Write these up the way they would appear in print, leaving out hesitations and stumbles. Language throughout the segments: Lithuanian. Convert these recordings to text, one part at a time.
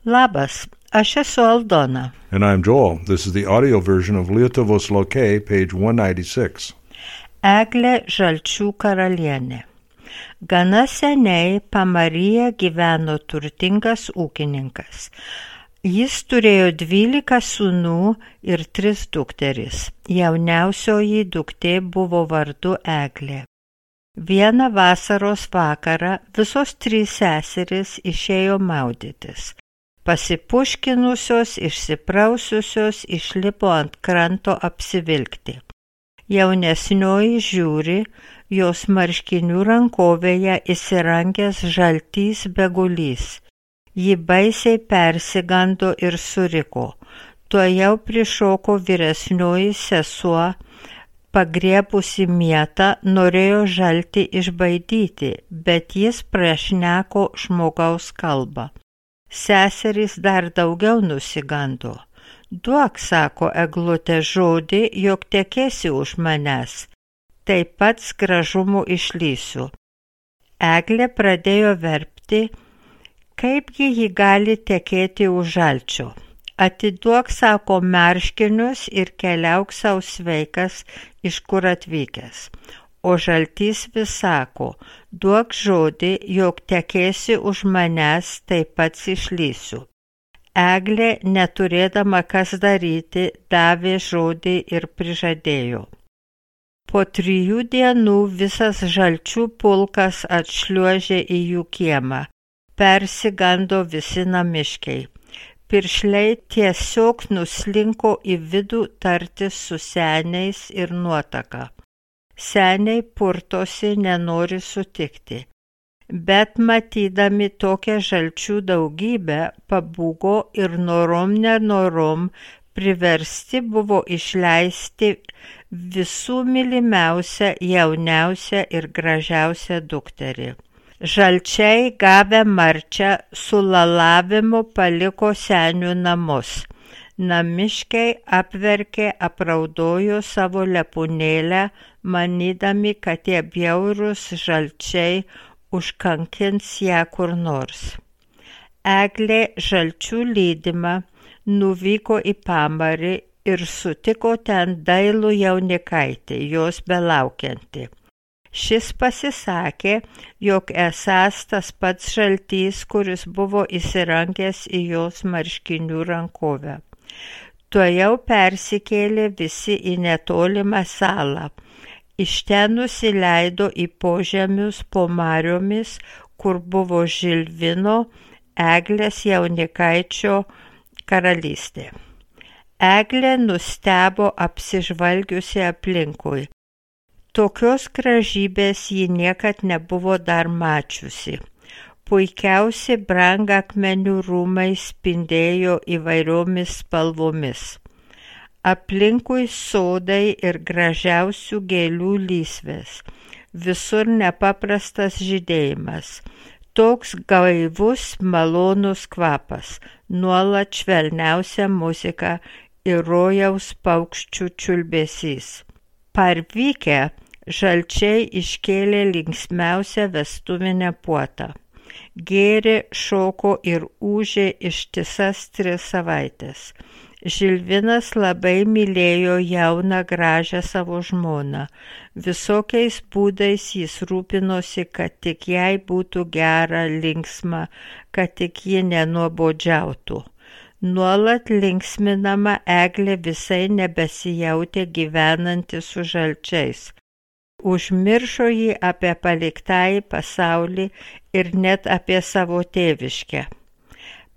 Labas, aš esu Aldona. And I'm Joel. This is the audio version of Lietuvos Lokė, page 196. Eglė Žalčių karalienė. Gana seniai Pamaryje gyveno turtingas ūkininkas. Jis turėjo 12 sūnų ir 3 dukteris. Jauniausioji duktė buvo vardu Eglė. Vieną vasaros vakarą visos 3 seserys išėjo maudytis. Pasipuškinusios, išsipraususios, išlipo ant kranto apsivilkti. Jaunesnioji žiūri, jos marškinių rankovėje įsirangęs žaltys begulys. Ji baisiai persigando ir suriko. Tuojau prišoko vyresnioji sesuo, pagriebusi mietą, norėjo žaltį išbaidyti, bet jis prašneko žmogaus kalbą. Seserys dar daugiau nusigando. Duok, sako Eglutė, žodį, jog tekėsi už manęs. Taip pat gražumu išlysiu. Eglė pradėjo verpti, kaipgi ji gali tekėti už Žalčio. Atiduok, sako, marškinius ir keliauk sau sveikas, iš kur atvykęs. O Žaltys vis sako, duok žodį, jog tekėsi už manęs, taip pat išlysiu. Eglė, neturėdama kas daryti, davė žodį ir prižadėjo. Po 3 dienų visas Žalčių pulkas atšliuožė į jų kiemą. Persigando visi namiškiai. Piršliai tiesiog nuslinko į vidų tartis su seniais ir nuotaka. Seniai purtosi, nenori sutikti. Bet matydami tokią Žalčių daugybę, pabūgo ir nenorom priversti buvo išleisti visų mylimiausią, jauniausią ir gražiausią dukterį. Žalčiai gavę marčią su lalavimu paliko senių namus. Namiškiai apverkė, apraudojo savo lepūnėlę, manydami, kad tie bjaurūs žalčiai užkankins ją kur nors. Eglė Žalčių lydima nuvyko į Pamarį ir sutiko ten dailų jaunikaitį, jos belaukiantį. Šis pasisakė, jog esąs tas pats Žaltys, kuris buvo įsirangęs į jos marškinių rankovę. Tuojau persikėlė visi į netolimą salą. Iš ten nusileido į požemius po mariomis, kur buvo Žilvino, Eglės jaunikaičio karalystė. Eglė nustebo apsižvalgiusi aplinkui. Tokios gražybės ji niekad nebuvo dar mačiusi. Puikiausi brangakmenių rūmai spindėjo įvairiomis spalvomis. Aplinkui sodai ir gražiausių gėlių lysvės. Visur nepaprastas žydėjimas. Toks gaivus, malonus kvapas, nuolat švelniausia muzika ir rojaus paukščių čiulbesys. Parvykę, Žalčiai iškėlė linksmiausią vestuvinę puotą. Gėrė, šoko ir ūžė ištisas 3 savaites. Žilvinas labai mylėjo jauną gražią savo žmoną. Visokiais būdais jis rūpinosi, kad tik jai būtų gera, linksma, kad tik ji nenuobodžiautų. Nuolat linksminama Eglė visai nebesijautė gyvenanti su Žalčiais. Užmiršo jį apie paliktąjį pasaulį ir net apie savo tėviškę.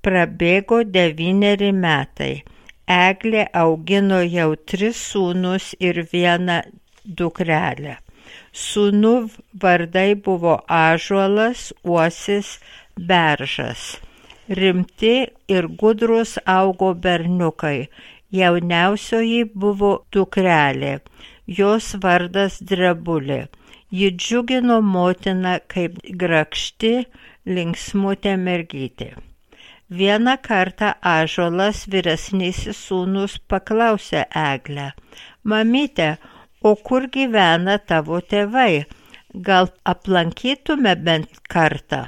Prabėgo 9 metai. Eglė augino jau 3 sūnus ir 1 dukrelę. Sūnų vardai buvo Ąžuolas, Uosis, Beržas. Rimti ir gudrus augo berniukai. Jauniausioji buvo dukrelė. Jos vardas Drebulė. Ji džiugino motiną kaip grakšti, linksmutė mergytė. Vieną kartą Ąžuolas, vyresnysis sūnus, paklausė Eglę: Mamyte, o kur gyvena tavo tėvai? Gal aplankytume bent kartą?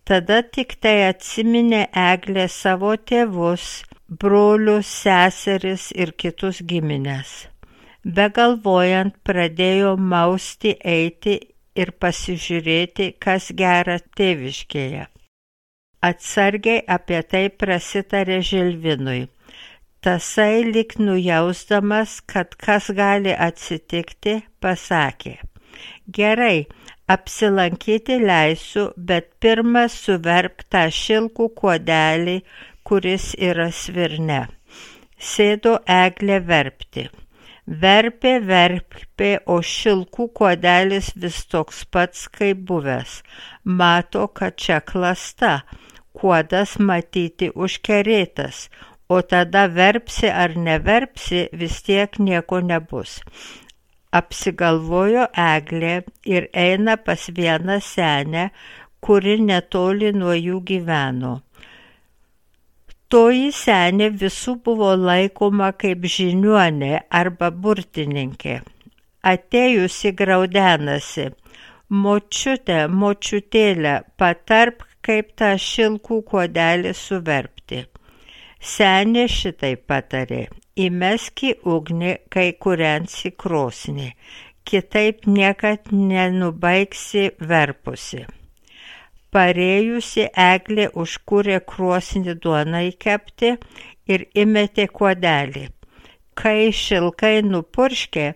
Tada tik tai atsiminė Eglė savo tėvus, brolius, seseris ir kitus giminės. Begalvojant pradėjo mausti eiti ir pasižiūrėti, kas gera tėviškėje. Atsargiai apie tai prasitarė Žilvinui. Tasai lyg nujausdamas, kad kas gali atsitikti, pasakė: Gerai, apsilankyti leisiu, bet pirmą suverpk tą šilkų kuodelį, kuris yra svirne. Sėdo Eglė verpti. Verpė, o šilkų kuodelis vis toks pats kaip buvęs. Mato, kad čia klasta, kuodas matyti užkerėtas, o tada verpsi ar neverpsi, vis tiek nieko nebus. Apsigalvojo Eglė ir eina pas vieną senę, kuri netoli nuo jų gyveno. Toji senė visų buvo laikoma kaip žiniuonė arba burtininkė. Atėjusi graudenasi: Močiute, močiutėlė, patarp, kaip tą šilkų kuodelį suverpti. Senė šitai patarė: Įmesk į ugnį, kai kūrensi krosnį, kitaip niekad nenubaigsi verpusi. Parėjusi Eglė užkūrė krosnį duonai kepti ir įmetė kuodelį. Kai šilkai nupurškė,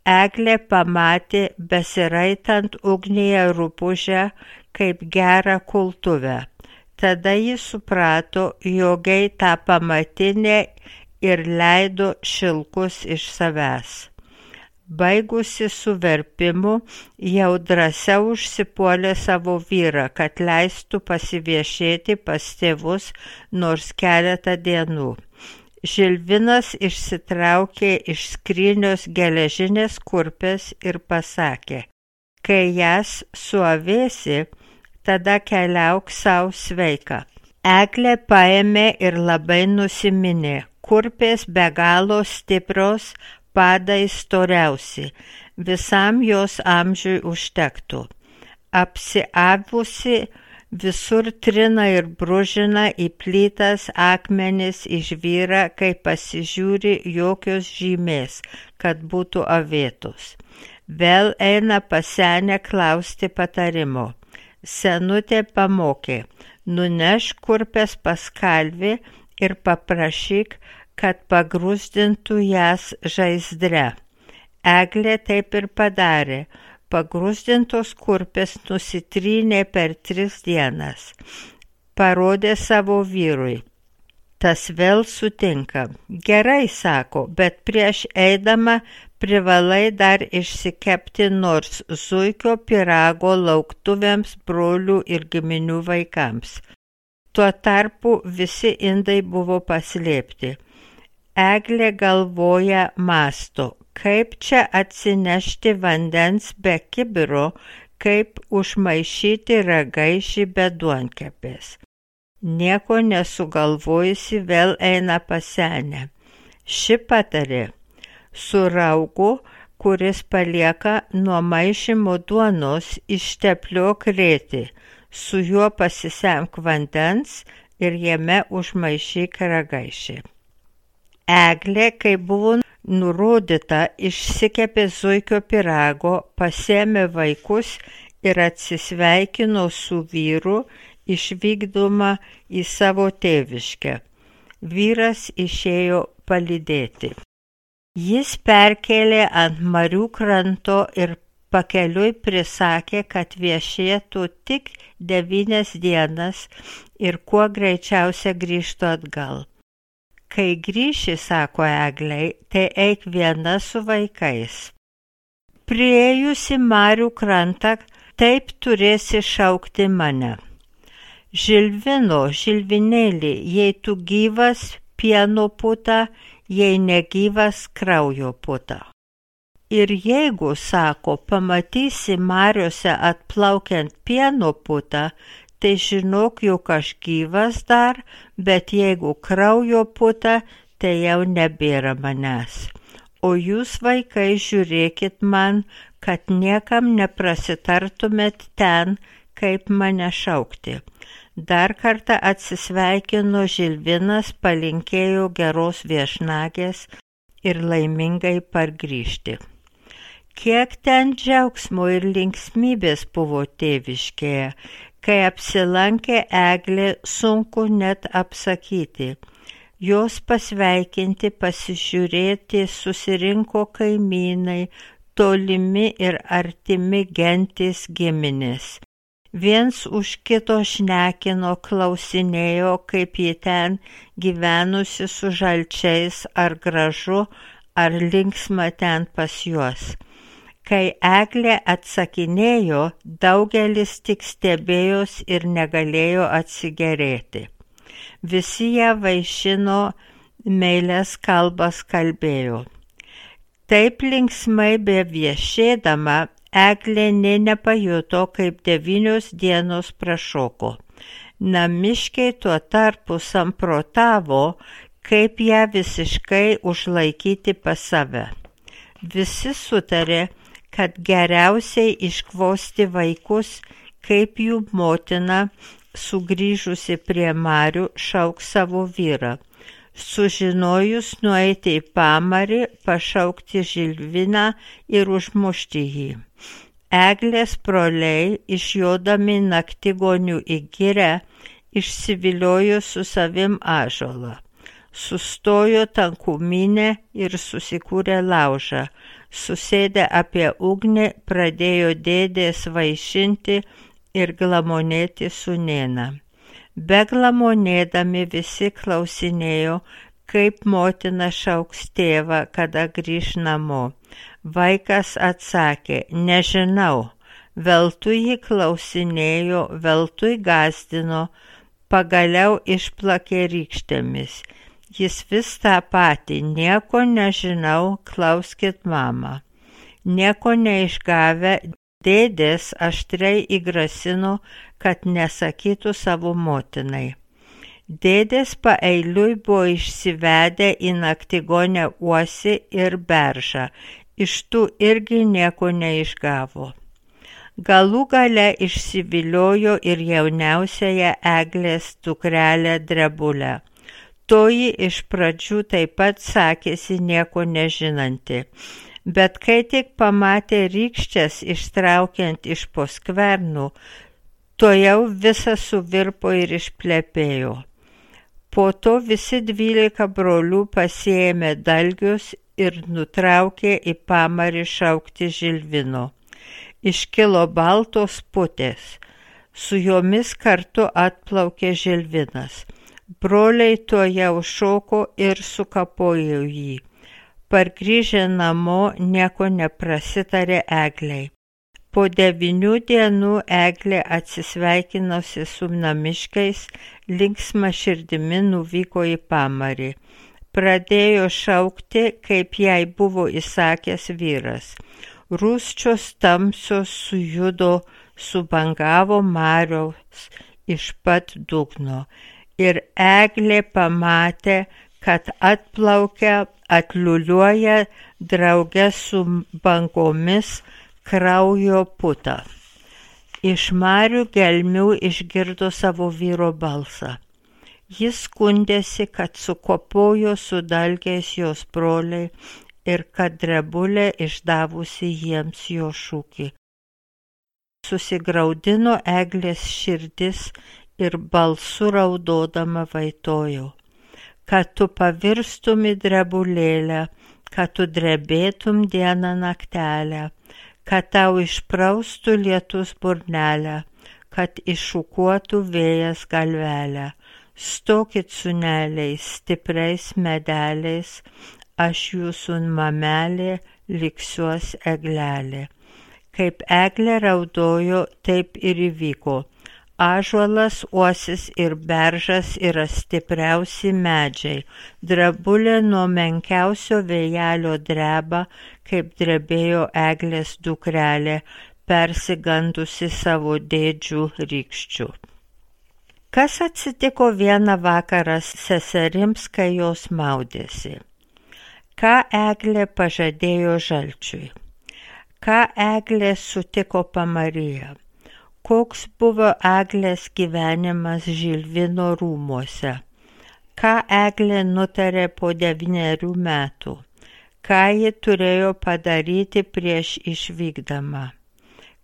Eglė pamatė besiraitant ugnyje rupūžę kaip gerą kultuvę. Tada ji suprato, jogai tą pamatinę ir leido šilkus iš savęs. Baigusi su verpimu, jau drąsiau užsipuolė savo vyrą, kad leistų pasiviešėti pas tėvus nors keletą dienų. Žilvinas išsitraukė iš skrynios geležinės kurpės ir pasakė: Kai jas suavėsi, tada keliauk savo sveika. Eglė paėmė ir labai nusiminė. Kurpės be galo stiprios, padai storiausi, visam jos amžiui užtektų. Apsiavusi visur trina ir bružina į plytas akmenis, išvyra, kai pasižiūri jokios žymės, kad būtų avėtos. Vėl eina pas senę klausti patarimo. Senutė pamokė: Nunešk kurpės pas kalvį ir paprašyk, kad pagrūzdintų jas žaizdre. Eglė taip ir padarė. Pagrūzdintos kurpės nusitrynė per 3 dienas. Parodė savo vyrui. Tas vėl sutinka. Gerai, sako, bet prieš eidama privalai dar išsikepti nors zuikio pyrago lauktuvėms, brolių ir giminių vaikams. Tuo tarpu visi indai buvo paslėpti. Eglė galvoja, mąsto, kaip čia atsinešti vandens be kibiro, kaip užmaišyti ragaišį be duonkepės. Nieko nesugalvojusi vėl eina pas senę. Ši patarė: Su raugu, kuris palieka nuo maišymo duonos, ištepliok rėtį, su juo pasisemk vandens ir jame užmaišyk ragaišį. Eglė, kai buvo nurodyta, išsikepė zuikio pyrago, pasėmė vaikus ir atsisveikino su vyru, išvykdoma į savo tėviškę. Vyras išėjo palydėti. Jis perkėlė ant marių kranto ir pakeliui prisakė, kad viešėtų tik 9 dienas ir kuo greičiausia grįžtų atgal. Kai grįši, sako Eglei, tai eik viena su vaikais. Priėjusi marių krantą, taip turėsi šaukti mane. Žilvino, Žilvinėlį, jei tu gyvas, pieno puta, jei negyvas, kraujo puta. Ir jeigu, sako, pamatysi mariose atplaukiant pieno putą, tai žinok, jog aš gyvas dar, bet jeigu kraujo puta, tai jau nebėra manęs. O jūs, vaikai, žiūrėkit man, kad niekam neprasitartumėt ten, kaip mane šaukti. Dar kartą atsisveikino Žilvinas, palinkėjo geros viešnagės ir laimingai pargrįžti. Kiek ten džiaugsmo ir linksmybės buvo tėviškėje, kai apsilankė Eglė, sunku net apsakyti. Jos pasveikinti, pasižiūrėti susirinko kaimynai, tolimi ir artimi gentys giminės. Viens už kito šnekino, klausinėjo, kaip ji ten gyvenusi su žalčiais, ar gražu, ar linksma ten pas juos. Kai Eglė atsakinėjo, daugelis tik stebėjos ir negalėjo atsigerėti. Visi ją vaišino, meilias kalbas kalbėjo. Taip linksmai beviešėdama, Eglė nė nepajuto, kaip 9 dienos prašoko. Namiškiai tuo tarpu samprotavo, kaip ją visiškai užlaikyti pas save. Visi sutarė, kad geriausiai iškvosti vaikus, kaip jų motina, sugrįžusi prie Marių, šauks savo vyrą. Sužinojus nueiti į Pamarį, pašaukti Žilviną ir užmušti jį. Eglės broliai, išjodami naktigonių į girią, išsiviliojo su savim ąžuolą. Sustojo tankumynę ir susikūrė laužą. Susėdę apie ugnį, pradėjo dėdės vaišinti ir glamonėti sūnėną. Beglamonėdami visi klausinėjo, kaip motina šauks tėvą, kada grįš namo. Vaikas atsakė, nežinau, veltui jį klausinėjo, veltui gąsdino, pagaliau išplakė rykštėmis. Jis vis tą patį, nieko nežinau, klauskit mamą. Nieko neišgavę, dėdės aštriai įgrasino, kad nesakytų savo motinai. Dėdės paeiliui buvo išsivedę į naktigonę Uosį ir Beržą, iš tų irgi nieko neišgavo. Galų gale išsiviliojo ir jauniausiąją Eglės dukrelę Drebulę. Toji iš pradžių taip pat sakėsi nieko nežinanti, bet kai tik pamatė rykščias ištraukiant iš po skvernų, tojau visa suvirpo ir išplepėjo. Po to visi 12 brolių pasiėmė dalgius ir nutraukė į Pamarį šaukti Žilvino. Iškilo baltos putės, su jomis kartu atplaukė Žilvinas. Broliai tojau šoko ir sukapojo jį. Pargrįžę namo nieko neprasitarė Eglei. Po 9 dienų Eglė atsisveikinosi su namiškiais, linksma širdimi nuvyko į Pamarį. Pradėjo šaukti, kaip jai buvo įsakęs vyras. Rūsčios tamsios sujudo, subangavo Mariaus iš pat dugno. Ir Eglė pamatė, kad atplaukia, atliuliuoja drauge su bangomis kraujo puta. Iš Marių gelmių išgirdo savo vyro balsą. Jis skundėsi, kad sukopojo su dalgiais jos broliai ir kad Drebulė išdavusi jiems jo šūkį. Susigraudino Eglės širdis ir balsu raudodama vaitojo, kad tu pavirstum į drebulėlę, kad tu drebėtum dieną naktelę, kad tau išpraustų lietus burnelę, kad iššukuotų vėjas galvelę. Stokit sūneliai stipriais medeliais, aš jūsų mamelė liksiuos eglelė. Kaip Eglė raudojo, taip ir įvyko. Ąžuolas, Uosis ir Beržas yra stipriausi medžiai. Drebulė nuo menkiausio vėjelio dreba, kaip drebėjo Eglės dukrelė, persigandusi savo dėdžių rykščių. Kas atsitiko vieną vakarą seserims, kai jos maudėsi? Ką Eglė pažadėjo žalčiui? Ką Eglė sutiko Pamaryje? Koks buvo Eglės gyvenimas Žilvino rūmuose? Ką Eglė nutarė po 9 metų? Ką ji turėjo padaryti prieš išvykdama?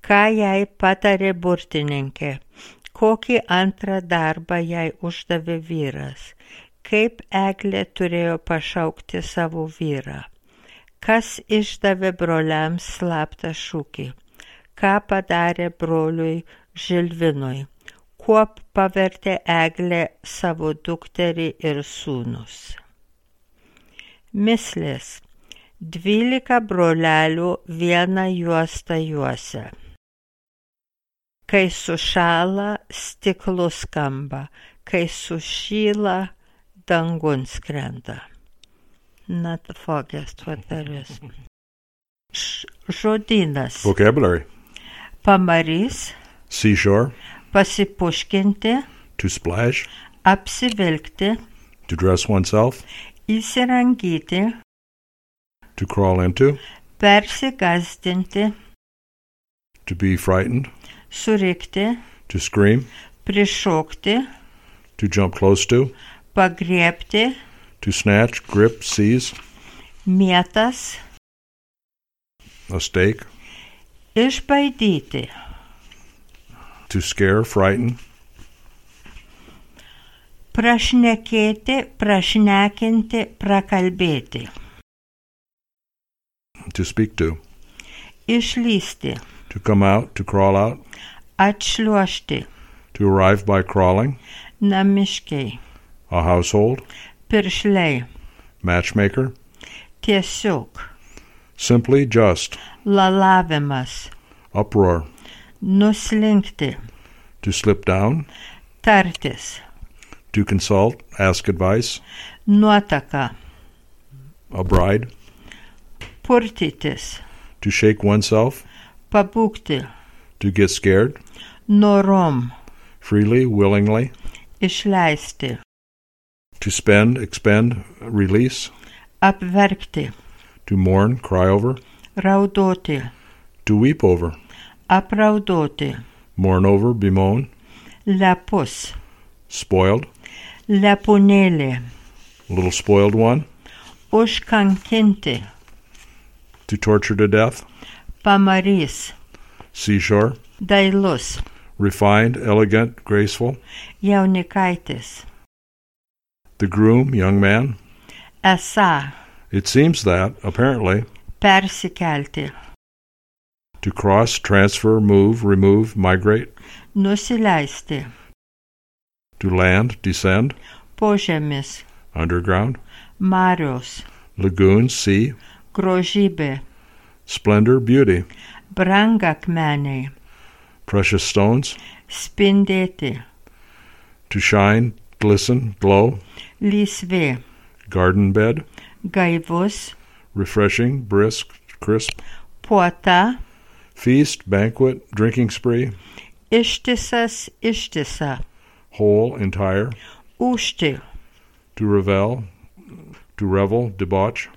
Ką jai patarė burtininkė? Kokį antrą darbą jai uždavė vyras? Kaip Eglė turėjo pašaukti savo vyrą? Kas išdavė broliams slaptą šūkį? Ką padarė broliui Žilvinui? Kuo pavertė Eglė savo dukterį ir sūnus? Mislės. 12 brolelių vieną juostą juosia. Kai sušąla, stiklu skamba, kai sušyla, dangun skrenda. Not the foggiest what there is. Žodynas. Vocabulary. Pamarys. Seashore. Pasipuškinti. To splash. Apsivilkti. To dress oneself. Įsirangyti. To crawl into. Persigasdinti. To be frightened. Surikti. To scream. Prišokti. To jump close to. Pagriebti. To snatch, grip, seize. Mietas. A stake. Išbaidyti. To scare, frighten. Prašnekėti, prašnekinti, prakalbėti. To speak to. Išlysti. To come out, to crawl out. Atšliuožti. To arrive by crawling. Namiškiai. A household. Piršliai. Matchmaker. Tiesiog. Simply just. Lalavimas. Uproar. Nuslinkti. To slip down. Tartis. To consult, ask advice. Nuotaka. A bride. Purtytis. To shake oneself. Pabūgti. To get scared. Norom. Freely, willingly. Išleisti. To spend, expend, release. Apverkti. To mourn, cry over. Raudoti. To weep over. Apraudoti. Mourn over, bemoan. Lepus. Spoiled. Lepūnėlė. Little spoiled one. Užkankinti. To torture to death. Pamarys. Seashore. Dailus. Refined, elegant, graceful. Jaunikaitis. The groom, young man. Esą. It seems that, apparently. Persikelti. To cross, transfer, move, remove, migrate. Nusileisti. To land, descend. Požemis. Underground. Marios. Lagoon, sea. Grožybė. Splendor, beauty. Brangakmeniai. Precious stones. Spindėti. To shine, glisten, glow. Lysvė. Garden bed. Gaivus. Refreshing, brisk, crisp. Puota. Feast, banquet, drinking spree. Ištisas, ištisa. Whole, entire. Užti. To revel, to revel, debauch.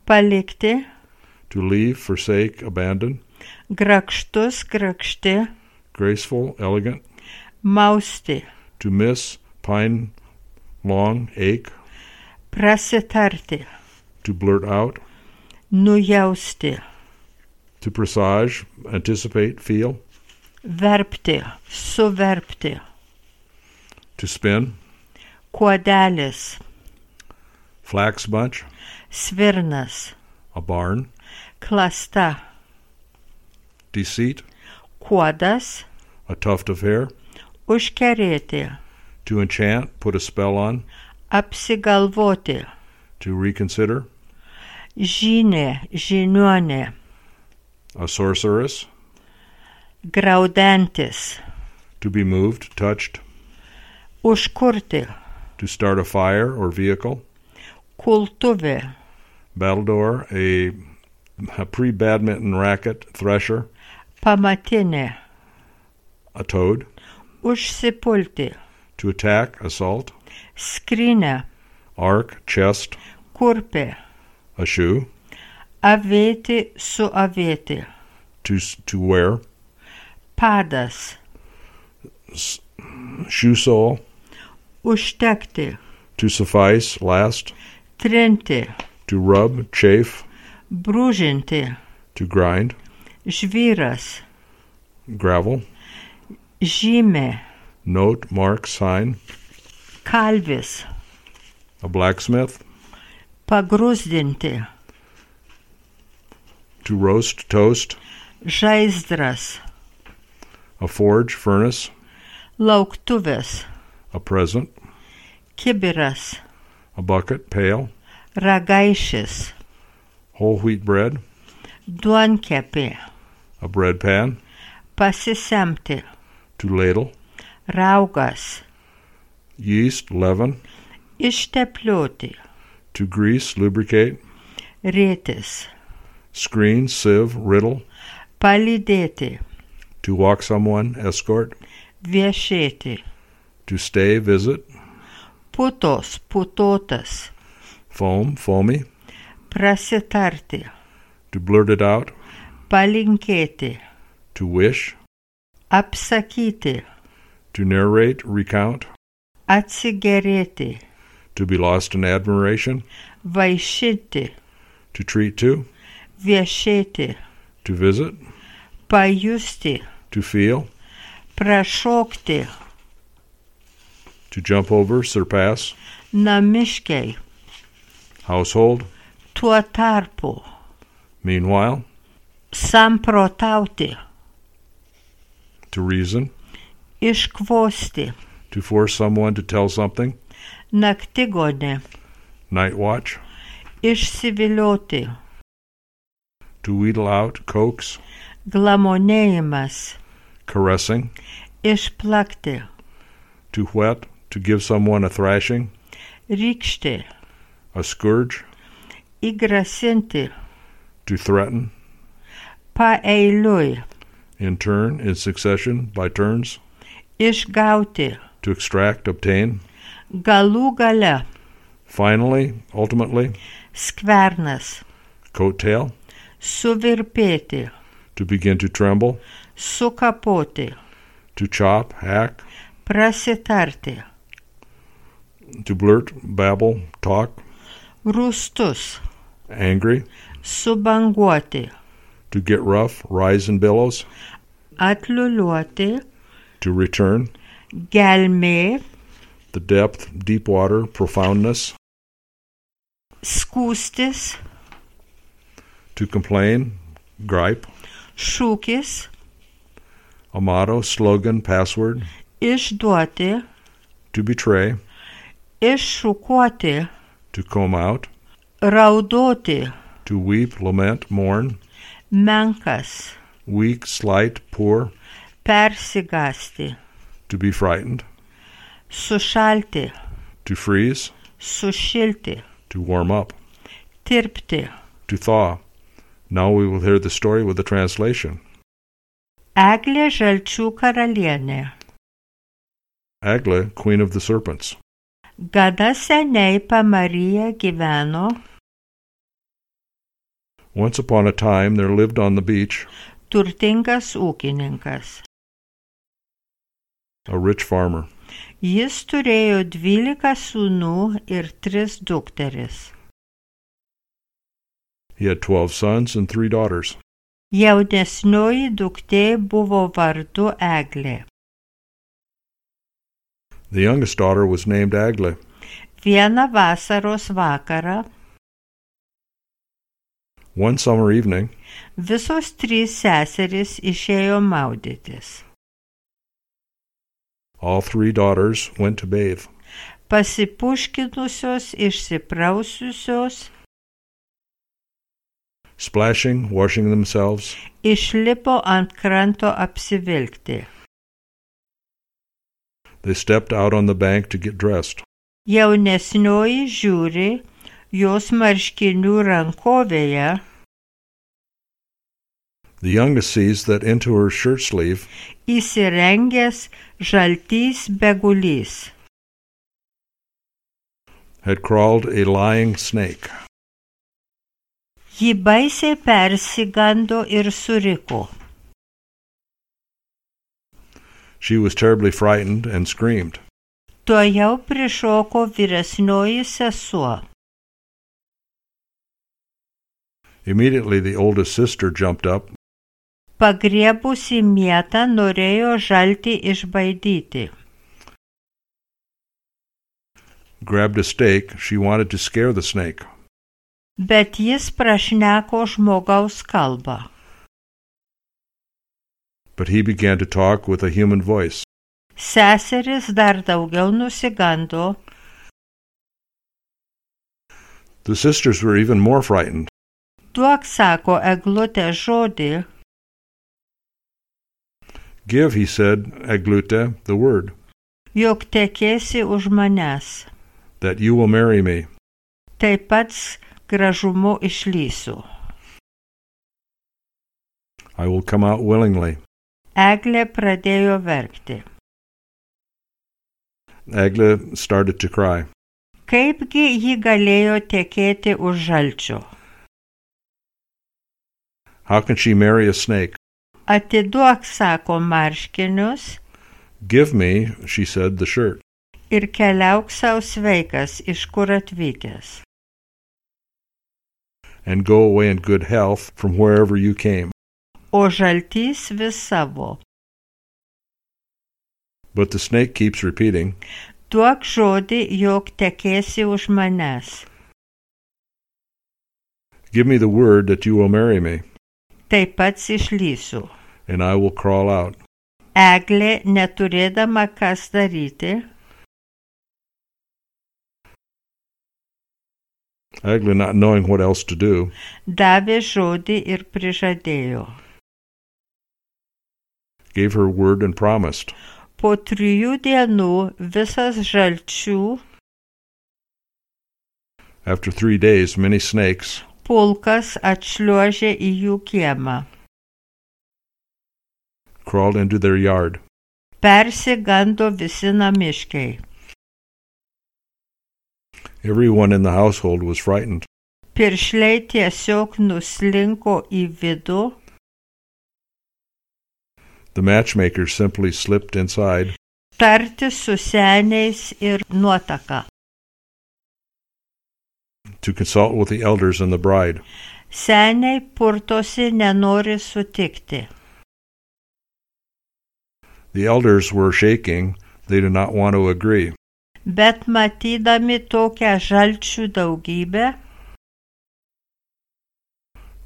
Palikti. To leave, forsake, abandon. Grakštus, grakšti. Graceful, elegant. Mausti. To miss, pine, long, ache. Prasitarti. To blurt out. Nujausti. To presage, anticipate, feel. Verpti. Suverpti. To spin. Kuodelis. Flax bunch. Svirnas. A barn. Klasta. Deceit. Kuodas. A tuft of hair. Užkerėti. To enchant, put a spell on. Apsigalvoti. To reconsider. Žynė, žiniuonė. A sorceress. Graudantis. To be moved, touched. Užkurti. To start a fire or vehicle. Kultuvė. Battledore, a pre-badminton racket, thresher. Pamatinė. A toad. Užsipulti. To attack, assault. Skrinė. Ark, chest. Kurpė. A shoe. Avėti, suavėti. To wear. Padas. shoe sole. Užtekti. To suffice, last. Trinti. To rub, chafe. Brūžinti. To grind. Žvyras. Gravel. Žymė. Note, mark, sign. Kalvis. A blacksmith. Pagrūzdinti. To roast, toast. Žaizdras. A forge, furnace. Lauktuvės. A present. Kibiras. A bucket, pail. Ragaišis. Whole wheat bread. Duonkepė. A bread pan. Pasisemti. To ladle. Raugas. Yeast, leaven. Išteplioti. To grease, lubricate. Rėtis. Screen, sieve, riddle. Palydėti. To walk someone, escort. Viešėti. To stay, visit. Putos, putotas. Foam, foamy. Prasitarti. To blurt it out. Palinkėti. To wish. Apsakyti. To narrate, recount. Atsigerėti. To be lost in admiration. Vaišinti. To treat to. Viešėti. To visit. Pajusti. To feel. Prašokti. To jump over, surpass. Namiškiai. Household. Tuo tarpu. Meanwhile. Samprotauti. To reason. Iškvosti. To force someone to tell something. Naktigonė. Night watch. Išsivilioti. To wheedle out, coax. Glamonėjimas. Caressing. Išplakti. To whet, to give someone a thrashing. Rykšti. A scourge. Įgrasinti. To threaten. Paeiliui. In turn, in succession, by turns. Išgauti. To extract, obtain. Galų gale. Finally, ultimately. Skvernas. Coattail. Suvirpėti. To begin to tremble. Sukapoti. To chop, hack. Prasitarti. To blurt, babble, talk. Rūstus. Angry. Subanguoti. To get rough, rise in billows. Atliuliuoti. To return. Gelmė. The depth, deep water, profoundness. Skūstis. To complain, gripe. Šūkis. A motto, slogan, password. Išduoti. To betray. Iššukuoti. To comb out. Raudoti. To weep, lament, mourn. Menkas. Weak, slight, poor. Persigąsti. To be frightened. Sušalti. To freeze. Sušilti. To warm up. Tirpti. To thaw. Now we will hear the story with the translation. Eglė žalčių karalienė. Eglė, queen of the serpents. Gada seniai Pamaryje gyveno. Once upon a time there lived on the beach Turtingas ūkininkas. a rich farmer. Jis turėjo 12 sūnų ir 3 dukteris. He had 12 sons and 3 daughters. Jaunesnioji duktė buvo vardu Eglė. The youngest daughter was named Eglė. Vieną vasaros vakarą One summer evening, visos 3 seserys išėjo maudytis. all 3 daughters went to bathe. Pasipuškinusios, išsiprausiusios, Splashing, washing themselves, išlipo ant kranto apsivilkti. they stepped out on the bank to get dressed. Jaunesnioji žiūri, jos marškinių rankovėje The youngest sees that into her shirt sleeve įsirengęs žaltys begulys. had crawled a lying snake. Ji baisiai persigando ir suriko. She was terribly frightened and screamed. Tuojau prišoko vyresnioji sesuo. Immediately the oldest sister jumped up, Pagriebusi mietą norėjo žaltį išbaidyti. grabbed a stake. She wanted to scare the snake. Bet jis prašneko žmogaus kalbą. But he began to talk with a human voice. Seseris dar daugiau nusigando. The sisters were even more frightened. Duok, sako Eglutė, žodį. Give, he said, Eglute, the word, Jog tekėsi už manęs. that you will marry me. Taip pats gražumu išlysiu. I will come out willingly. Eglė pradėjo verkti. Egle started to cry. Kaipgi ji galėjo tekėti už žalčio? How can she marry a snake? Atiduok, sako, marškinius Give me, she said, the shirt, ir keliauk sau sveikas, iš kur atvykęs. and go away in good health from wherever you came. O žaltys vis savo. But the snake keeps repeating, Duok žodį, jog tekėsi už manęs. Give me the word that you will marry me, Taip pats išlysiu. and I will crawl out. Eglė, neturėdama kas daryti, Egle, not knowing what else to do, davė žodį ir prižadėjo. gave her word and promised. Po 3 dienų visas žalčių After 3 days, many snakes pulkas atšliuožė į jų kiemą. crawled into their yard. Persigando visi namiškiai. Everyone in the household was frightened. Piršliai tiesiog nuslinko į vidų, The matchmaker simply slipped inside tarti su seniais ir nuotaka. to consult with the elders and the bride. Seniai purtosi, nenori sutikti. The elders were shaking. They did not want to agree. Bet matydami tokią žalčių daugybę,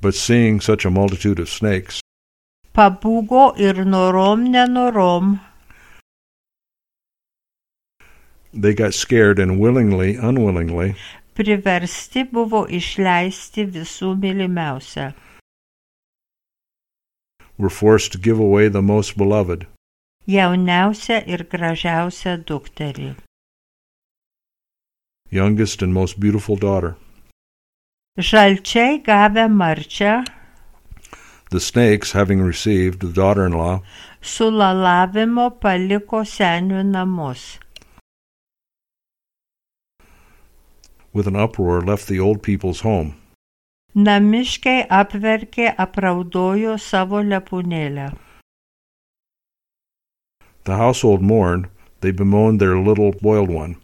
But seeing such a multitude of snakes, pabūgo ir norom nenorom they got scared and unwillingly, priversti buvo išleisti visų mylimiausią. were forced to give away the most beloved. Jauniausią ir gražiausią dukterį. Youngest and most beautiful daughter. Žalčiai gavę marčią, The snakes, having received the daughter-in-law, su lalavimo paliko senių namus. with an uproar left the old people's home. Namiškiai apverkė, apraudojo savo lepūnėlę. The household mourned. They bemoaned their little boiled one.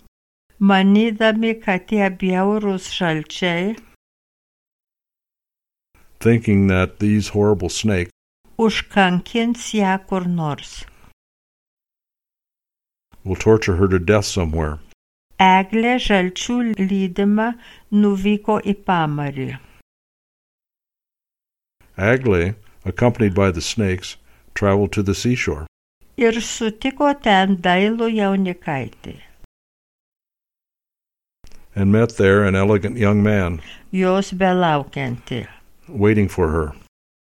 Manydami, kad tie bjaurūs žalčiai Thinking that these horrible snakes užkankins ją kur nors. will torture her to death somewhere. Eglė žalčių lydima nuvyko į pamarį. Agle, accompanied by the snakes, traveled to the seashore. Ir sutiko ten dailų jaunikaitį. And met there an elegant young man Jos belaukianti. waiting for her.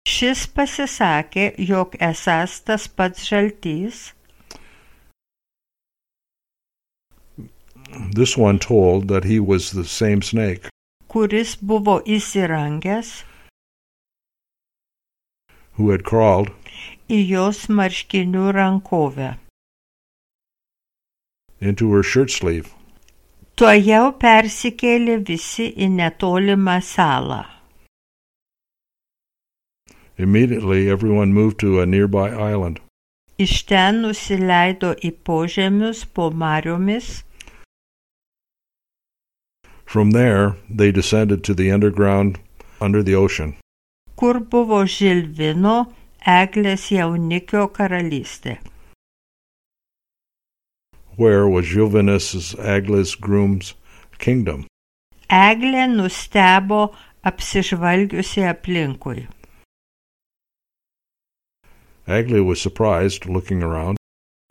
Šis pasisakė, jog esąs tas pats žaltys. This one told that he was the same snake Kuris buvo įsirangęs who had crawled į jos marškinių rankovę. into her shirt sleeve. Tuojau persikėlė visi į netolimą salą. Immediately everyone moved to a nearby island. Iš ten nusileido į požemius po mariomis. From there, they descended to the underground under the ocean, Kur buvo Žilvino, eglės jaunikio karalystė. where was Žilvinus Egla's groom's kingdom. Eglė nustebo apsižvalgiusi aplinkui. Egla was surprised, looking around.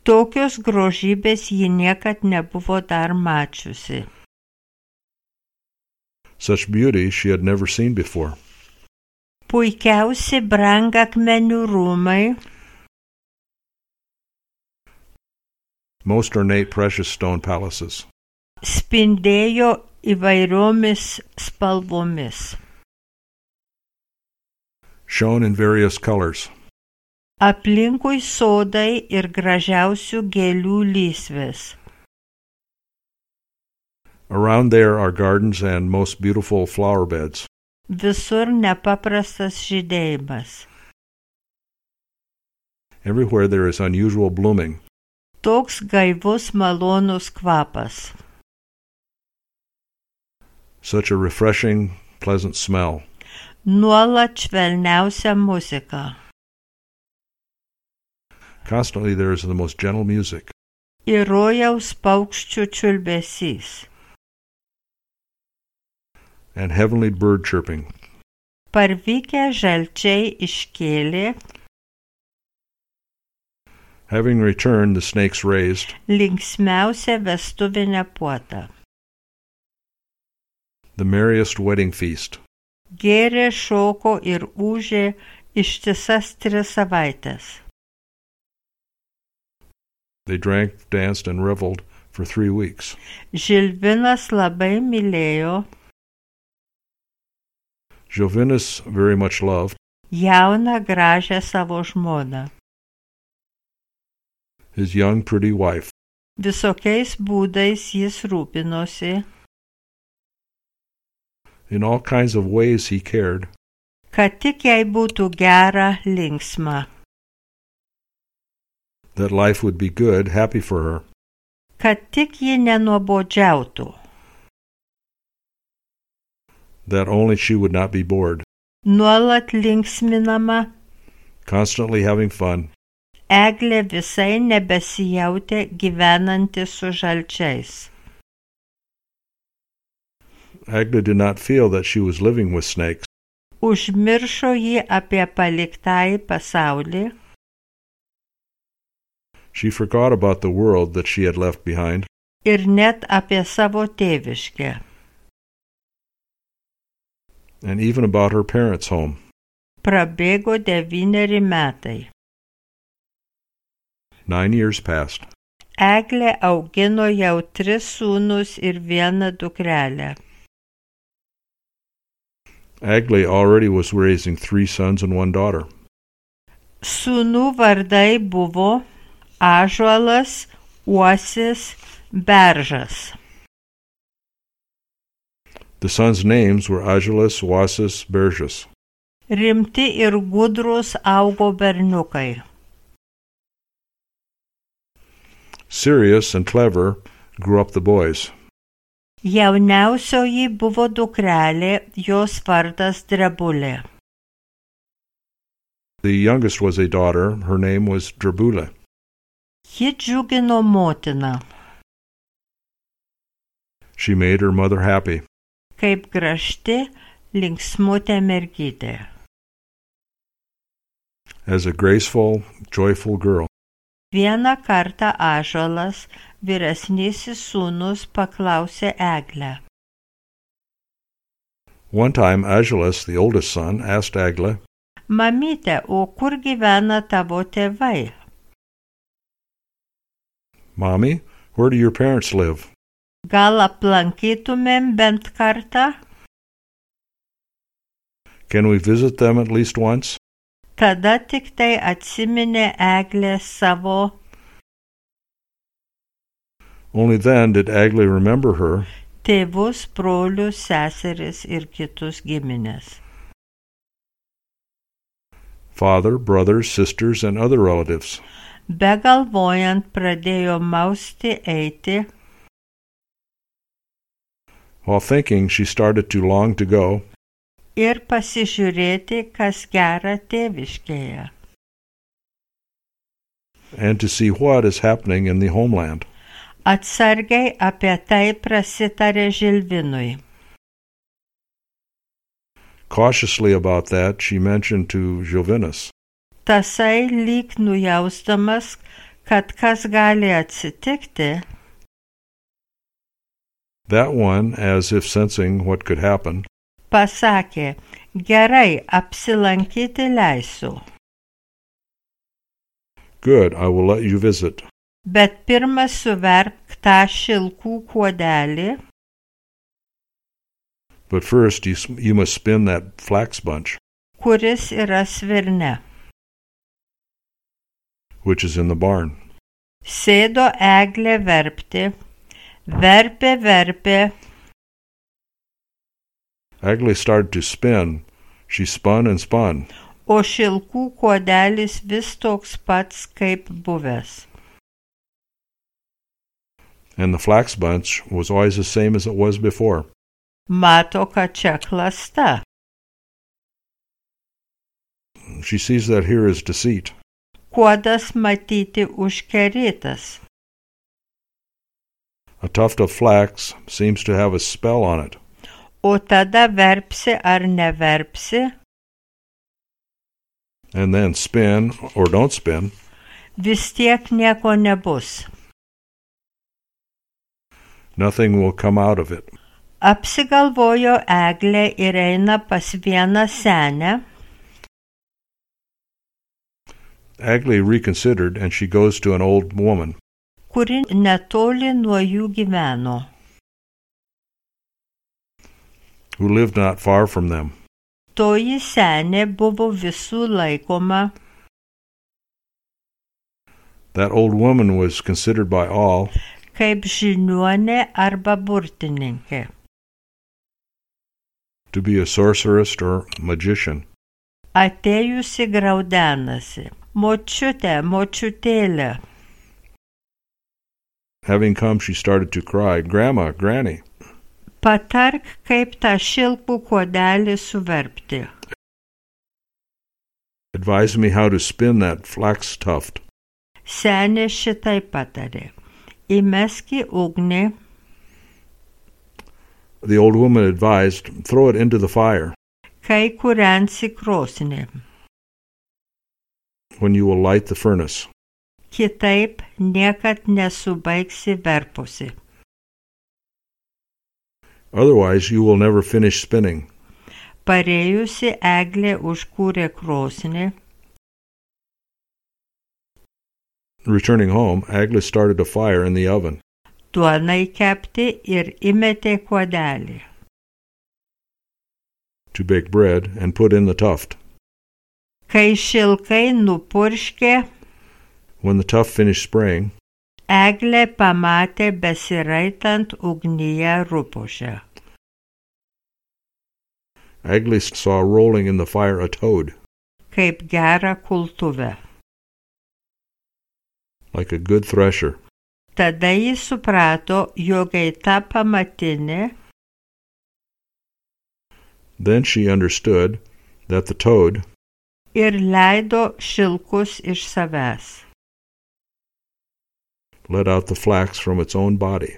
Tokios grožybės ji niekad nebuvo dar mačiusi. Such beauty she had never seen before. Puikiausi brangakmenių rūmai, Most ornate precious stone palaces. spindėjo įvairiomis spalvomis. Shone in various colors. Aplinkui sodai ir gražiausių gėlių lysvės. Around there are gardens and most beautiful flower beds. Visur nepaprastas žydėjimas. Everywhere there is unusual blooming. Toks gaivus malonus kvapas. Such a refreshing, pleasant smell. Nuolat švelniausia muzika. Constantly there is the most gentle music. Ir rojaus paukščių čiulbesys. And heavenly bird chirping. Parvykę žalčiai iškėlė, Having returned, the snakes raised. linksmiausią vestuvinę puotą. The merriest wedding feast. Gėrė, šoko ir ūžė ištisas 3 savaites. They drank, danced, and reveled for 3 weeks. Žilvinas labai mylėjo Žilvinus very much loved jauną gražią savo žmoną. his young, pretty wife. Visokiais būdais jis rūpinosi, In all kinds of ways he cared. kad tik jai būtų gera, linksma, That life would be good, happy for her. kad tik ji nenuobodžiautų, That only she would not be bored. nuolat linksminama. Constantly having fun. Eglė visai nebesijautė gyvenanti su žalčiais. Agla did not feel that she was living with snakes. Užmiršo jį apie paliktąjį pasaulį, She forgot about the world that she had left behind, ir net apie savo tėviškę. and even about her parents' home. Prabėgo 9 metai. 9 years passed. Eglė augino jau 3 sūnus ir 1 dukrelę. Agla already was raising 3 sons and 1 daughter. Sūnų vardai buvo Ąžuolas, Uosis, Beržas. The sons' names were Agilas, Uosis, Beržas. Rimti ir gudrus augo berniukai. Serious and clever grew up the boys. Jauniausioji buvo dukrelė, jos vardas Drebulė. The youngest was a daughter. Her name was Drebula. Ji džiugino motiną, She made her mother happy. kaip gražti, linksmutė mergytė. As a graceful, joyful girl. Vieną kartą Ąžuolas, vyresnysis sūnus, paklausė Eglę. One time, Agilas, the oldest son, asked Agla, Mamyte, o kur gyvena tavo tėvai? Mommy, where do your parents live? Gal aplankytumėm bent kartą? Can we visit them at least once? Tada tik tai atsiminė Eglė savo. Only then did Agla remember her Tėvus, brolius, seseris ir kitus giminės. father, brothers, sisters, and other relatives. Begalvojant pradėjo mausti eiti. While thinking, she started to long to go, Ir pasižiūrėti, kas gera tėviškėje. and to see what is happening in the homeland. Atsargiai apie tai prasitarė Žilvinui. Cautiously about that, she mentioned to Žilvinas. Tasai lyg nujausdamas, kad kas gali atsitikti, That one, as if sensing what could happen, pasakė, gerai, apsilankyti leisiu. good, I will let you visit. Bet pirma suverk tą šilkų kuodelį, But first, you must spin that flax bunch, kuris yra svirne. which is in the barn. Sėdo eglė verpti, verpė. Agli started to spin. She spun and spun. O šilkų kuodelis vis toks pats kaip buvęs. And the flax bunch was always the same as it was before. Mato, kad čia klasta. She sees that here is deceit. Kuodas matyti užkerėtas. A tuft of flax seems to have a spell on it. O tada verpsi ar neverpsi, And then spin or don't spin, vis tiek nieko nebus. nothing will come out of it. Apsigalvojo eglė ir eina pas vieną senę, Agli reconsidered, and she goes to an old woman. kuri netoli nuo jų gyveno. Who lived not far from them. Toji senė buvo visų laikoma, That old woman was considered by all kaip žiniuonė arba burtininkė. to be a sorceress or magician. Atėjusi graudenasi. Močiutėlė. Having come, she started to cry, Grandma, Granny, Patark, kaip tą šilkų kuodelį suverpti. advise me how to spin that flax tuft. Senė šitai patarė. Įmeski ugnį, The old woman advised, throw it into the fire. kai kūrensi krosnį. When you will light the furnace. Kitaip niekad nesubaigsi verpusi. Otherwise, you will never finish spinning. Parėjusi eglė užkūrė krosnį, Returning home, Agli started a fire in the oven. duonai kepti ir įmetė kuodelį. To bake bread and put in the tuft. Kai šilkai nupurškė, When the tuft finished spraying, eglė pamatė besiraitant ugnyje rupūžę. Agli saw rolling in the fire a toad, Kaip gerą kultuvę. like a good thresher. Tada jis suprato, jog ta pamatinė, Then she understood that the toad ir leido šilkus iš savęs. let out the flax from its own body.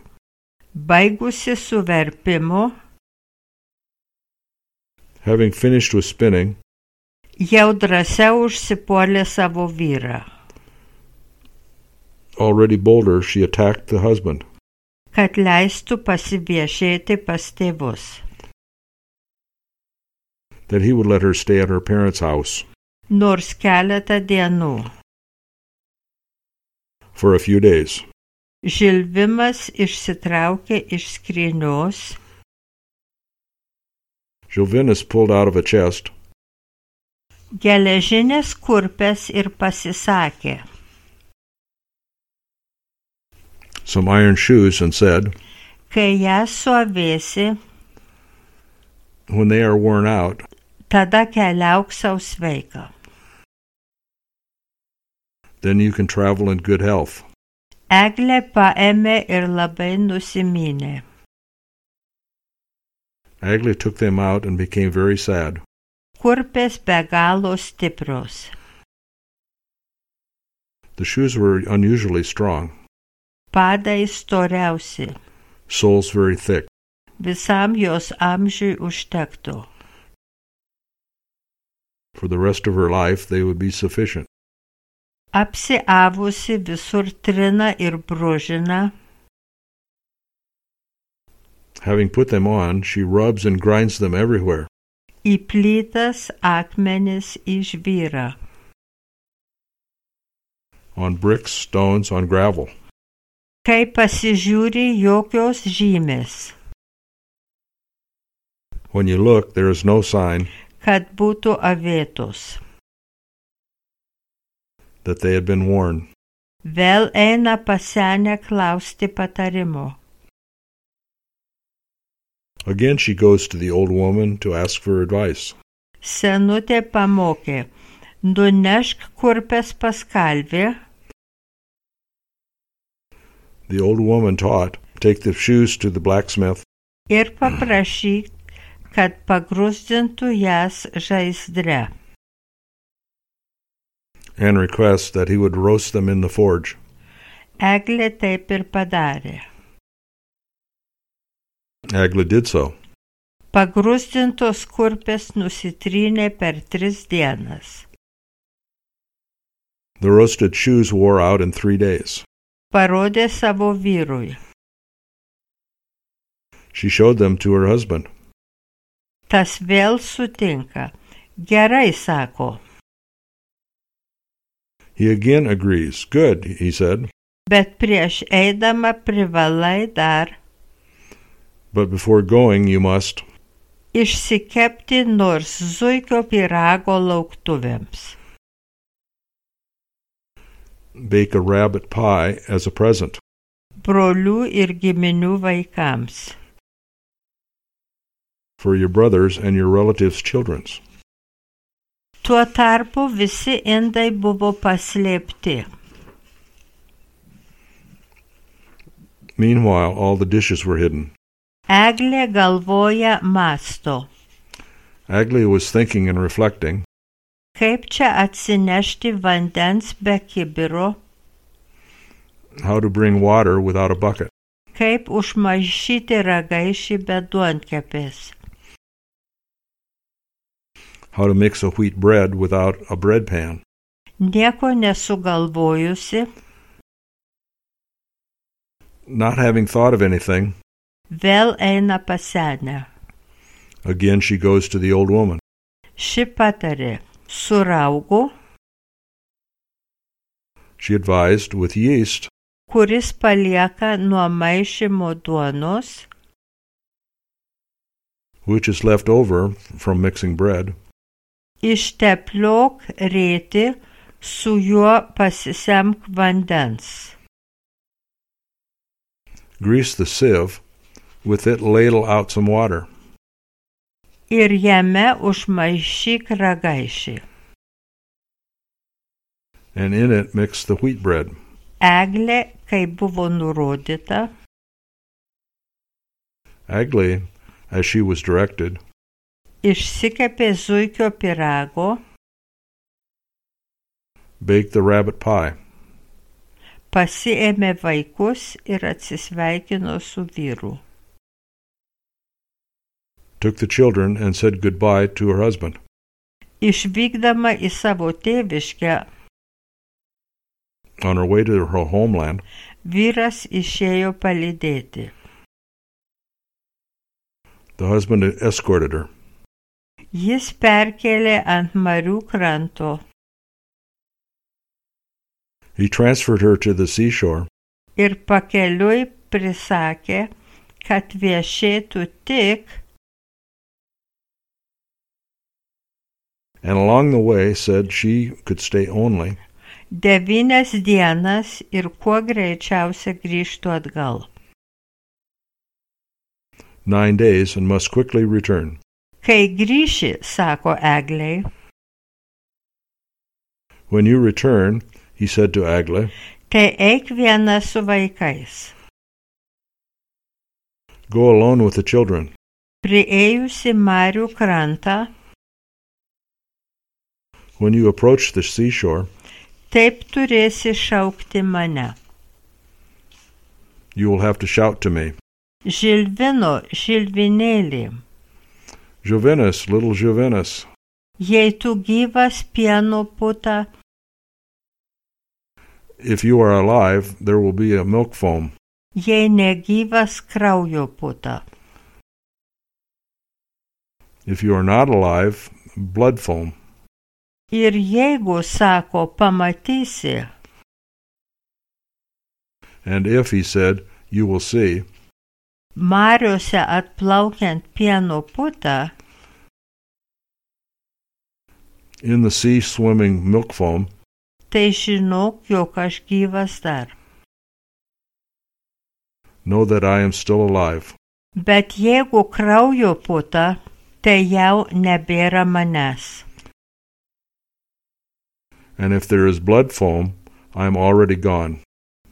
Baigusi su verpimu, Having finished with spinning, jau drąsiau užsipuolė savo vyrą, already bolder, she attacked the husband, kad leistų pasiviešėti pas tėvus. that he would let her stay at her parents' house Nors keletą dienų. for a few days. Žilvimas išsitraukė iš skrynios, Žilvinas pulled out of a chest geležinės kurpes ir pasisakė. some iron shoes and said, Kai jas suavėsi, when they are worn out, tada keliauk sau sveika. Then you can travel in good health. Eglė paėmė ir labai nusiminė. Eglė took them out and became very sad. Kurpės be galo stiprios. The shoes were unusually strong, Padai storiausi. soles very thick. Visam jos amžiui užtektų. For the rest of her life, they would be sufficient. Apsiavusi visur trina ir brūžina. Having put them on, she rubs and grinds them everywhere. Į plytas akmenis išvyra. On bricks, stones, on gravel. Kai pasižiūri, jokios žymės, When you look, there is no sign kad būtų avėtos. that they had been worn. Vėl eina pas senę klausti patarimo. Again she goes to the old woman to ask for advice. Senutė pamokė, nunešk kurpes pas kalvį, The old woman taught, take the shoes to the blacksmith ir paprašyk, kad pagrūzdintų jas žaizdre. and request that he would roast them in the forge. Eglė taip ir padarė. Agla did so. Pagrūzdintos kurpės nusitrynė per 3 dienas. The roasted shoes wore out in 3 days. Parodė savo vyrui. She showed them to her husband. Tas vėl sutinka. Gerai, sako, He again agrees. Good, he said, bet prieš eidama privalai dar but before going you must išsikepti nors zuikio pyrago lauktuvėms. bake a rabbit pie as a present Brolių ir giminių vaikams. for your brothers and your relatives' children's. Tuo tarpu visi indai buvo paslėpti. Meanwhile, all the dishes were hidden. Eglė galvoja mąsto, Agla was thinking and reflecting, kaip čia atsinešti vandens be kibiro, how to bring water without a bucket, kaip užmaišyti ragaišį be duonkepės. how to mix a wheat bread without a bread pan. Nieko nesugalvojusi, Not having thought of anything, vėl eina pas senę. again she goes to the old woman. Ši patarė, su raugu, She advised, with yeast, kuris palieka nuo maišymo duonos, which is left over from mixing bread, ištepliok rėtį, su juo pasisemk vandens. grease the sieve, with it ladle out some water, Ir jame užmaišyk ragaišį. and in it mix the wheat bread. Eglė, kaip buvo nurodyta, Agla, as she was directed, išsikepė zuikio pyrago, baked the rabbit pie, pasiėmė vaikus ir atsisveikino su vyru. took the children and said goodbye to her husband. Išvykdama į savo tėviškę, On her way to her homeland, vyras išėjo palydėti. the husband escorted her. Jis perkėlė ant marių kranto He transferred her to the seashore ir pakeliui prisakė, kad viešėtų tik, and along the way said she could stay only 9 dienas ir kuo greičiausia grįžtų atgal. 9 days and must quickly return. Kai grįši, sako Eglei, When you return, he said to Eglė, tai eik viena su vaikais. "Go alone with the children." Priėjusi Marių krantą, When you approach the seashore, taip turėsi šaukti mane. you will have to shout to me, Žilvino, žilvinėlį, "Jovinus, little Jovinus." jei tu gyvas pieno puta, If you are alive, there will be a milk foam. jei negyvas kraujo puta. If you are not alive, blood foam. Ir jeigu, sako, pamatysi, And if, he said, you will see, mariose atplaukiant pieno putą, in the sea swimming milk foam, tai žinok, jog aš gyvas dar. know that I am still alive. Bet jeigu kraujo puta, tai jau nebėra manęs. And if there is blood foam, I am already gone.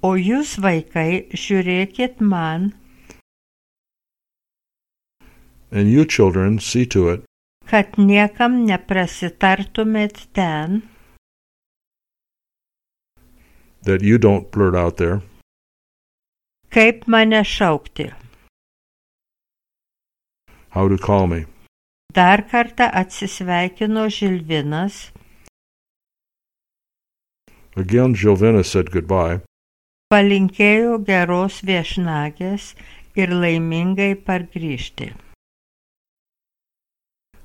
O jūs, vaikai, žiūrėkit man, And you, children, see to it kad niekam neprasitartumėt ten, that you don't blurt out there, kaip mane šaukti. how to call me. Dar kartą atsisveikino Žilvinas, Again, Jovinus said goodbye, palinkėjo geros viešnagės ir laimingai pargrįžti.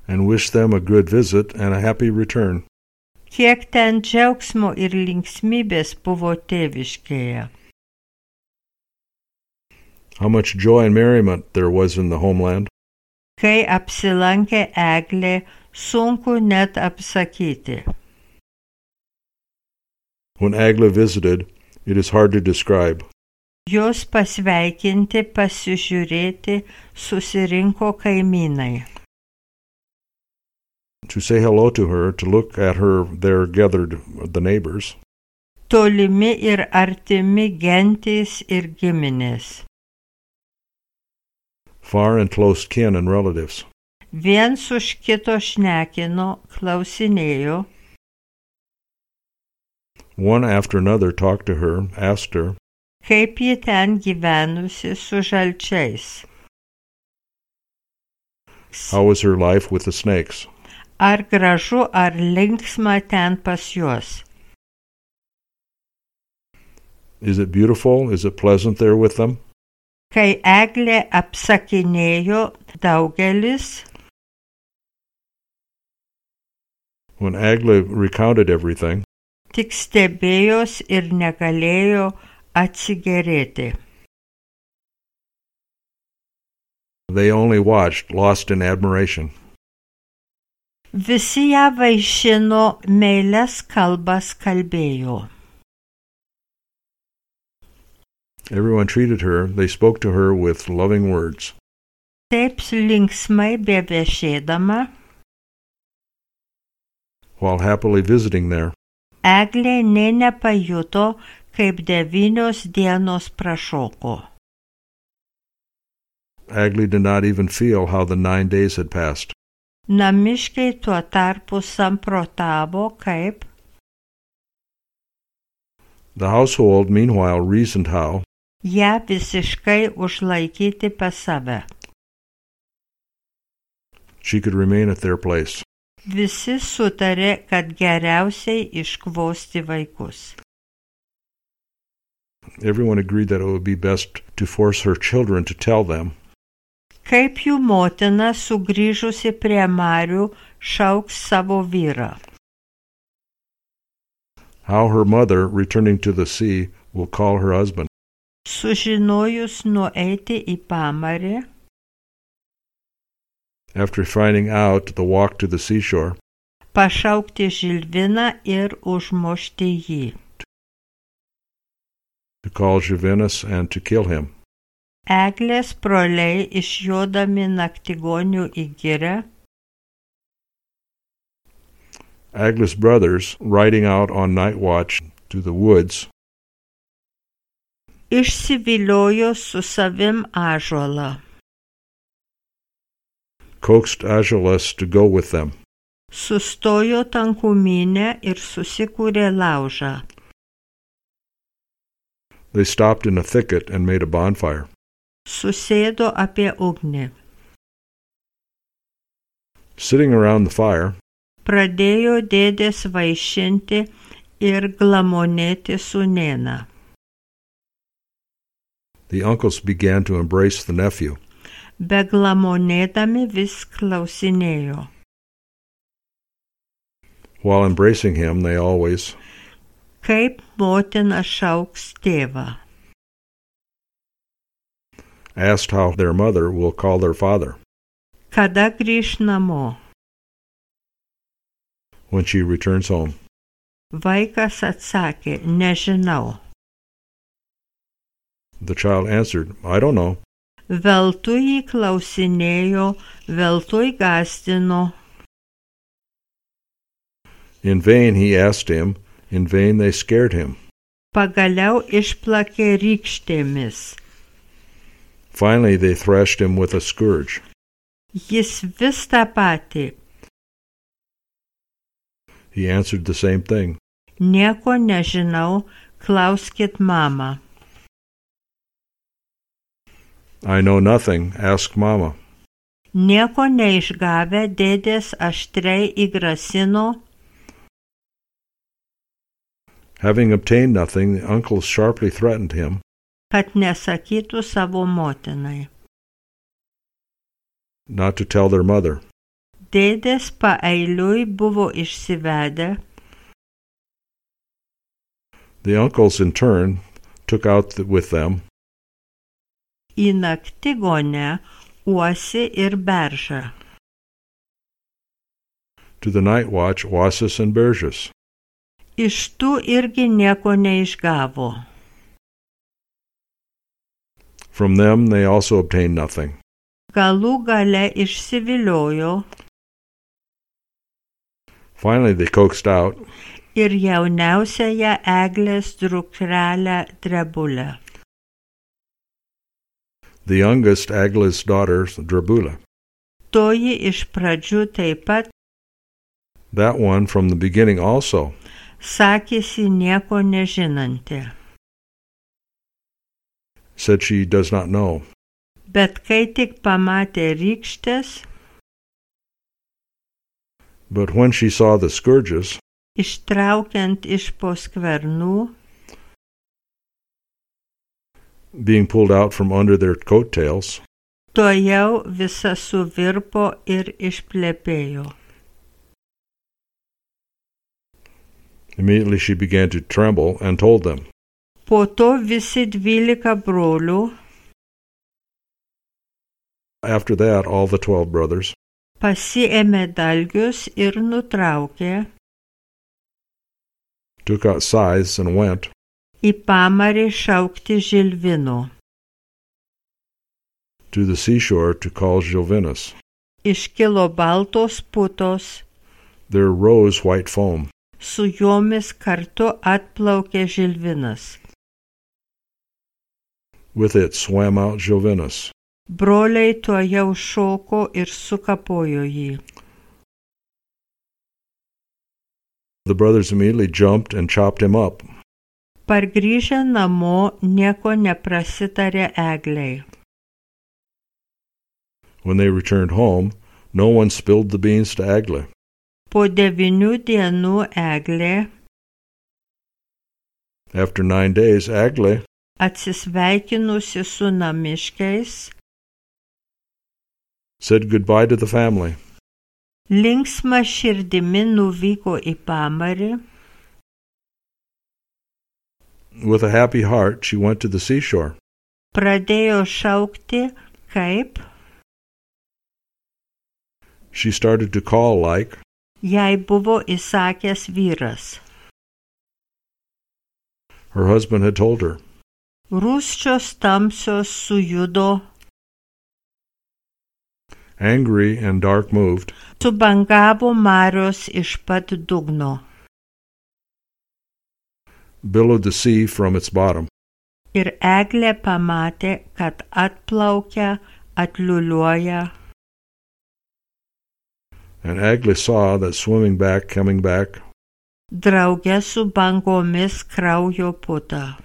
and wished them a good visit and a happy return. Kiek ten džiaugsmo ir linksmybės buvo tėviškėje. How much joy and merriment there was in the homeland. Kai apsilankė Eglė, sunku net apsakyti. When Eglė visited, it is hard to describe. Jos pasveikinti, pasižiūrėti susirinko kaimynai. To say hello to her, to look at her, there gathered the neighbors. Tolimi ir artimi gentys ir giminės. Far and close kin and relatives. Viens už kito šnekino, klausinėjo, One after another talked to her, asked her, kaip ji ten gyvenusi su žalčiais. how was her life with the snakes? Ar gražu, ar linksma ten pas juos. Is it beautiful? Is it pleasant there with them? Kai Eglė apsakinėjo, daugelis, When Eglė recounted everything, tik stebėjos ir negalėjo atsigerėti. they only watched, lost in admiration. Visi ją vaišino, meilias kalbas kalbėjo. Everyone treated her, they spoke to her with loving words. Taip linksmai bevešėdama, While happily visiting there, Eglė nė nepajuto, kaip 9 dienos prašoko. Eglė did not even feel how the 9 days had passed. Namiškiai tuo tarpu samprotavo, kaip The household, meanwhile, reasoned how, ją visiškai užlaikyti pas save. she could remain at their place. Visi sutarė, kad geriausiai iškvosti vaikus. Everyone agreed that it would be best to force her children to tell them, Kaip jų motina sugrįžusi prie Marių šauks savo vyrą. how her mother, returning to the sea, will call her husband. Sužinojus nueiti į pamarį, After finding out the walk to the seashore, pašaukti Žilviną ir užmušti jį. to call Jovinus and to kill him. Eglės broliai išjodami naktigonių į girią, Eglė's brothers, riding out on night watch, to the woods, išsiviliojo su savim ąžuolą, coaxed Aeschylus to go with them. sustojo tankumyne ir susikūrė laužą. They stopped in a thicket and made a bonfire. Susėdo apie ugnį. Sitting around the fire, Pradėjo dėdės vaišinti ir glamonėti sūnėną. the uncles began to embrace the nephew. Beglamonėdami vis klausinėjo. While embracing him, they always, Kaip motina šauks tėvą. asked how their mother will call their father Kada grįš namo? when she returns home. Vaikas atsakė, nežinau. The child answered, I don't know. Veltui jį klausinėjo, veltui gąsdino. In vain he asked him, in vain they scared him. Pagaliau išplakė rykštėmis. Finally they thrashed him with a scourge. Jis vis tą patį. He answered the same thing. Nieko nežinau, klauskit mamą. I know nothing, ask Mama. Nieko neišgavę dėdės aštriai įgrasino. Having obtained nothing, the uncles sharply threatened him, Kad nesakytų savo motinai. not to tell their mother. Dėdės paeiliui buvo išsivedę. The uncles, in turn, took out with them Į naktigonę uosį ir beržą. to the night watch Oasis and Berges. Iš tų irgi nieko neišgavo. From them they also obtained nothing. Galų gale išsiviliojo Finally they coaxed out, ir jauniausiąją eglės dukrelę Drebulę. the youngest Agla's daughter, Drabula. Toji iš pradžių taip pat That one from the beginning also sakėsi nieko nežinanti. said she does not know. Bet kai tik pamatė rykštės, But when she saw the scourges, ištraukiant iš po skvernų, being pulled out from under their coattails, tojau visa suvirpo ir išplepėjo. immediately she began to tremble and told them. Po to visi 12 brolių After that, all the 12 brothers pasiėmė dalgius ir nutraukė took out scythes and went į pamarį šaukti Žilvino. to the seashore to call Gilvinus. Iškilo baltos putos, There rose white foam. su jomis kartu atplaukė Žilvinas. With it swam out Gilvinus. Broliai tuojau šoko ir sukapojo jį. The brothers immediately jumped and chopped him up. Pargrįžę namo nieko neprasitarė eglei. When they returned home, no one spilled the beans to Agla. Po 9 dienų eglė, After 9 days, Agla, atsisveikinusi su namiškiais, said goodbye to the family. linksma širdimi nuvyko į pamarį. With a happy heart, she went to the seashore. Pradėjo šaukti, kaip She started to call like jai buvo įsakęs vyras. her husband had told her. Rūsčios tamsios sujudo, Angry and dark moved, subangavo marios iš pat dugno. billowed the sea from its bottom. Ir eglė pamatė, kad atplaukia, atliuliuoja. And Eglė saw that coming back, Drauge su bangomis kraujo puta.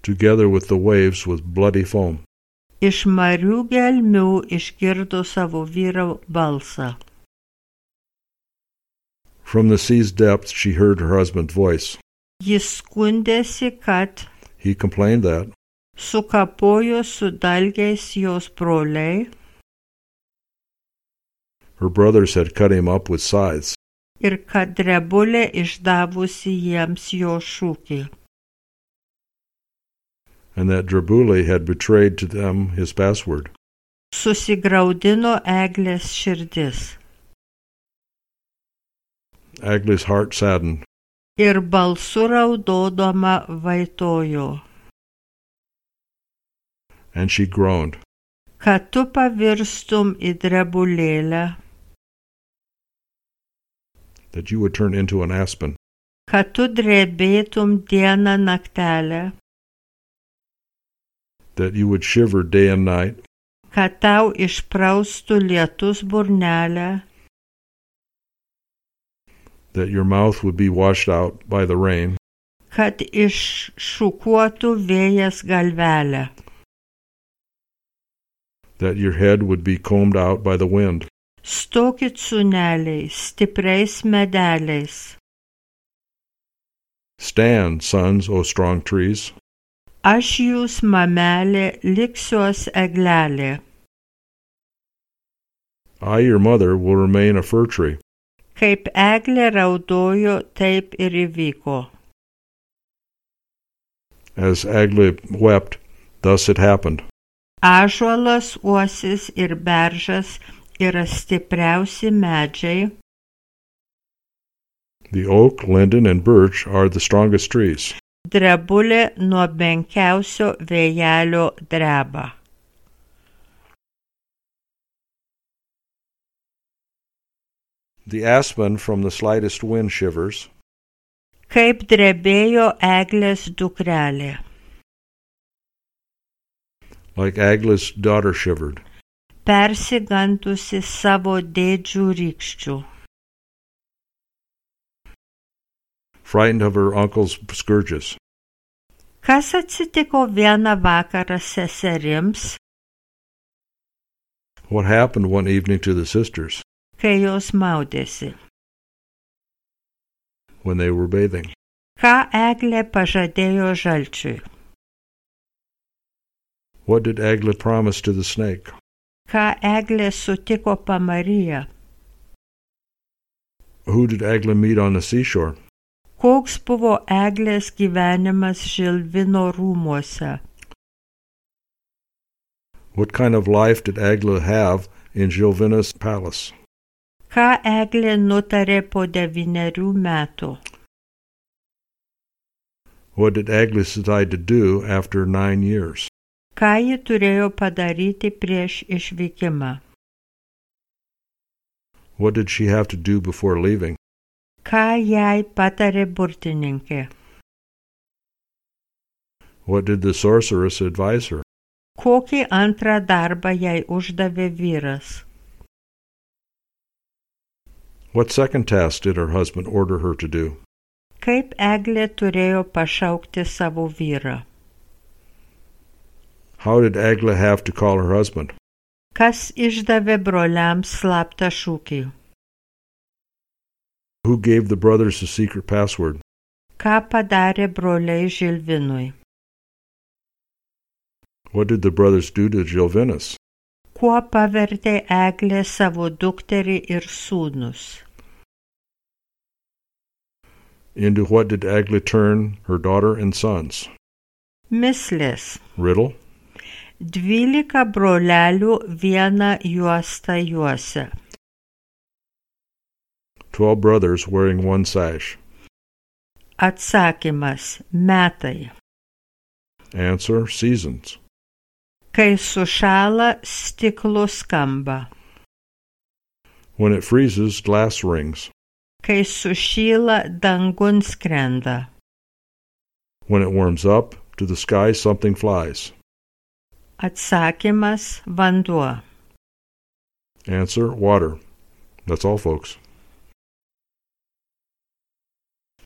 together with the waves with bloody foam. Iš marių gelmių išgirdo savo vyro balsą. From the sea's depths she heard her husband's voice. Jis skundėsi, kad He complained that sukapojo su dalgiais jos broliai her brothers had cut him up with scythes, ir kad drebulė išdavusi jiems jo šūkį. and that Drebule had betrayed to them his password. Susigraudino Eglės širdis Eglė's heart saddened, ir balsu raudodama vaitojo, and she groaned, kad tu pavirstum į drebulėlę, that you would turn into an aspen, kad tu drebėtum dieną naktelę, that you would shiver day and night, kad tau išpraustų lietus burnelę, that your mouth would be washed out by the rain, kad iššukuotų vėjas galvelę, that your head would be combed out by the wind. stokit sūneliai, stipriais medeliais. Stand, sons, O strong trees. Aš jūs, mamelė, liksiuos eglelė. I, your mother, will remain a fir tree. Kaip eglė raudojo, taip ir įvyko. As Eglė wept, thus it happened. Ąžuolas, uosis ir beržas yra stipriausi medžiai. The oak, linden, and birch are the strongest trees. Drebulė nuo menkiausio vėjelio dreba. The aspen from the slightest wind shivers. Kaip drebėjo eglės dukrelė. Like Eglė's daughter shivered, Persigandusi savo dėdžių rykščių. frightened of her uncle's scourges. Kas atsitiko vieną vakarą seserims, What happened one evening to the sisters kai jos maudėsi? when they were bathing? Ką eglė pažadėjo žalčiui? What did Eglė promise to the snake? Ką eglė sutiko pamaryje? Who did Eglė meet on the seashore? Koks buvo eglės gyvenimas Žilvino rūmuose? What kind of life did Eglė have in Žilvina's palace? Ką eglė nutarė po 9 metų? What did Eglė decide to do after 9 years? Ką ji turėjo padaryti prieš išvykimą? What did she have to do before leaving? Ką jai patarė burtininkė? What did the sorceress advise her? Kokį antrą darbą jai uždavė vyras? What second task did her husband order her to do? Kaip eglė turėjo pašaukti savo vyrą? How did Eglė have to call her husband? Kas išdavė broliams slaptą šūkį? Who gave the brothers the secret password? Ką padarė broliai Žilvinui? What did the brothers do to Žilvinas? Kuo pavertė eglė savo dukterį ir sūnus? Into what did Eglė turn her daughter and sons? Mislės. Riddle. 12 brolelių vieną juostą juosia. 12 brothers wearing one sash. Atsakymas – metai. Answer, seasons. Kai sušąla, stiklo skamba. When it freezes, glass rings. Kai sušyla, dangun skrenda. When it warms up, to the sky something flies. Atsakymas, vanduo. Answer, water. That's all, folks.